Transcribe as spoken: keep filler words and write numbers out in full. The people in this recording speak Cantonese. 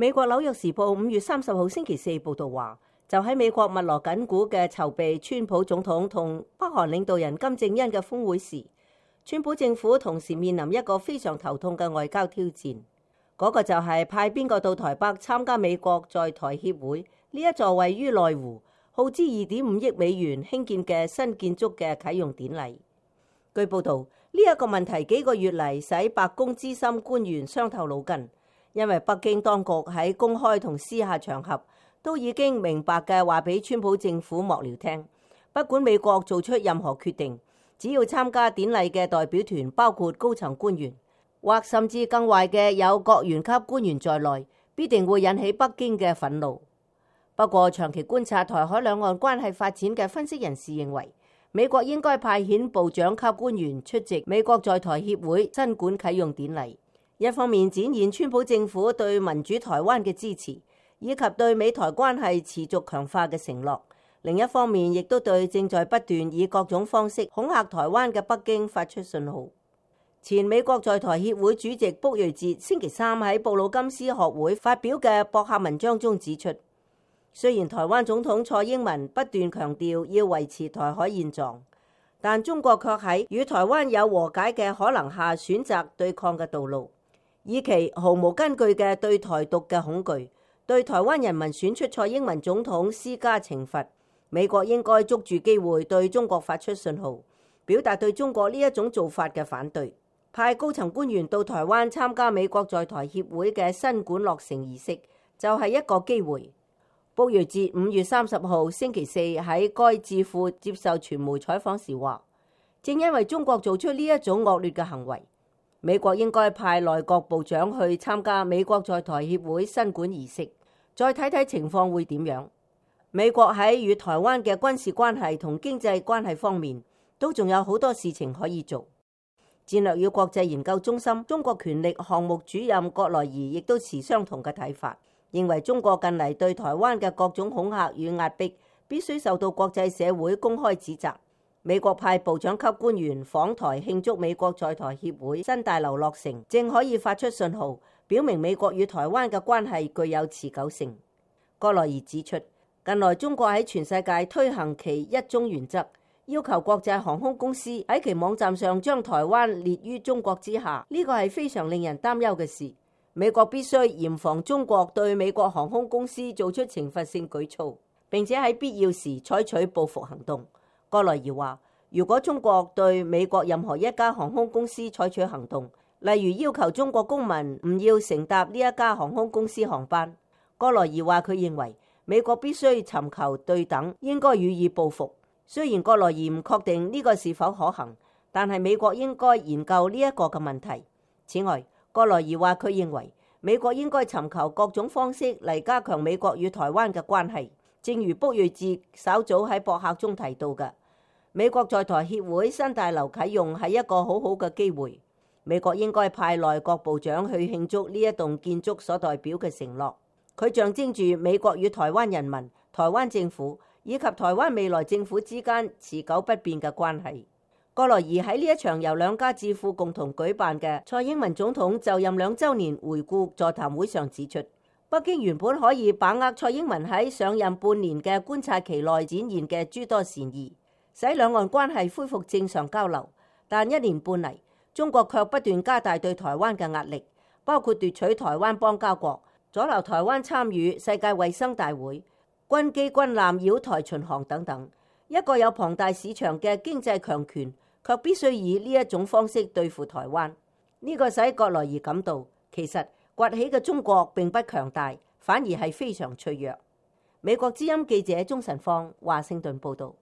美國紐約時報五月三十號星期四報道話，就喺美國密鑼緊鼓嘅籌備川普總統同北韓領導人金正恩嘅峰會時，川普政府同時面臨一個非常頭痛嘅外交挑戰，嗰、那個就係派邊個到台北參加美國在台協會呢一座位於內湖、耗資二點五億美元興建嘅新建築嘅啟用典禮。據報道，呢、這、一個問題幾個月嚟使白宮資深官員傷透腦筋。因為北京當局喺公開同私下場合都已經明白嘅話俾川普政府幕僚聽，不管美國做出任何決定，只要參加典禮嘅代表團包括高層官員，或甚至更壞嘅有國員級官員在內，必定會引起北京嘅憤怒。不過，長期觀察台海兩岸關係發展嘅分析人士認為，美國應該派遣部長級官員出席美國在台協會新館啟用典禮。一方面展現川普政府對民主台灣嘅支持，以及對美台關係持續強化嘅承諾；另一方面，亦都對正在不斷以各種方式恐嚇台灣嘅北京發出信號。前美國在台協會主席卜瑞哲星期三喺布魯金斯學會發表嘅博客文章中指出，雖然台灣總統蔡英文不斷強調要維持台海現狀，但中國卻喺與台灣有和解嘅可能下選擇對抗嘅道路。以其毫無根據嘅對台獨嘅恐懼，對台灣人民選出蔡英文總統施加懲罰。美國應該捉住機會對中國發出信號，表達對中國呢一種做法嘅反對。派高層官員到台灣參加美國在台協會嘅新館落成儀式，就係一個機會。卜瑞哲五月三十號星期四喺該智庫接受傳媒採訪時話，正因為中國做出呢一種惡劣嘅行為，美國應該派內閣部長去參加美國在台協會新館儀式，再睇睇情況會點樣。美國喺與台灣嘅軍事關係同經濟關係方面，都仲有好多事情可以做。戰略與國際研究中心中國權力項目主任葛萊儀亦都持相同嘅睇法，認為中國近嚟對台灣嘅各種恐嚇與壓迫，必須受到國際社會公開指責。美國派部長級官員訪台慶祝美國在台協會新大樓落成，正可以發出信號，表明美國與台灣嘅關係具有持久性。葛萊儀指出，近來中國喺全世界推行其一中原則，要求國際航空公司喺其網站上將台灣列於中國之下，呢個係非常令人擔憂嘅事。美國必須嚴防中國對美國航空公司做出懲罰性舉措，並且喺必要時採取報復行動。葛萊儀話，如果中國對美國任何一家航空公司採取行動，例如要求中國公民唔要乘搭呢一家航空公司航班，葛萊儀話佢認為美國必須尋求對等，應該予以報復。雖然葛萊儀唔確定呢個是否可行，但係美國應該研究呢一個嘅問題。此外，葛萊儀話佢認為美國應該尋求各種方式嚟加強美國與台灣嘅關係，正如卜瑞哲稍早喺博客中提到嘅。美國在台協會新大樓啟用係一個好好嘅機會，美國應該派內閣部長去慶祝呢一棟建築所代表嘅承諾。佢象徵住美國與台灣人民、台灣政府以及台灣未來政府之間持久不變嘅關係。葛萊儀喺呢一場由兩家智庫共同舉辦嘅蔡英文總統就任兩週年回顧座談會上指出，北京原本可以把握蔡英文喺上任半年嘅觀察期內展現嘅諸多善意，使兩岸關係恢復正常交流，但一年半嚟，中國卻不斷加大對台灣嘅壓力，包括奪取台灣邦交國、阻撓台灣參與世界衛生大會、軍機軍艦繞台巡航等等。一個有龐大市場嘅經濟強權，卻必須以呢一種方式對付台灣。呢、這個使葛萊儀感到，其實崛起嘅中國並不強大，反而係非常脆弱。美國之音記者鍾晨芳華盛頓報道。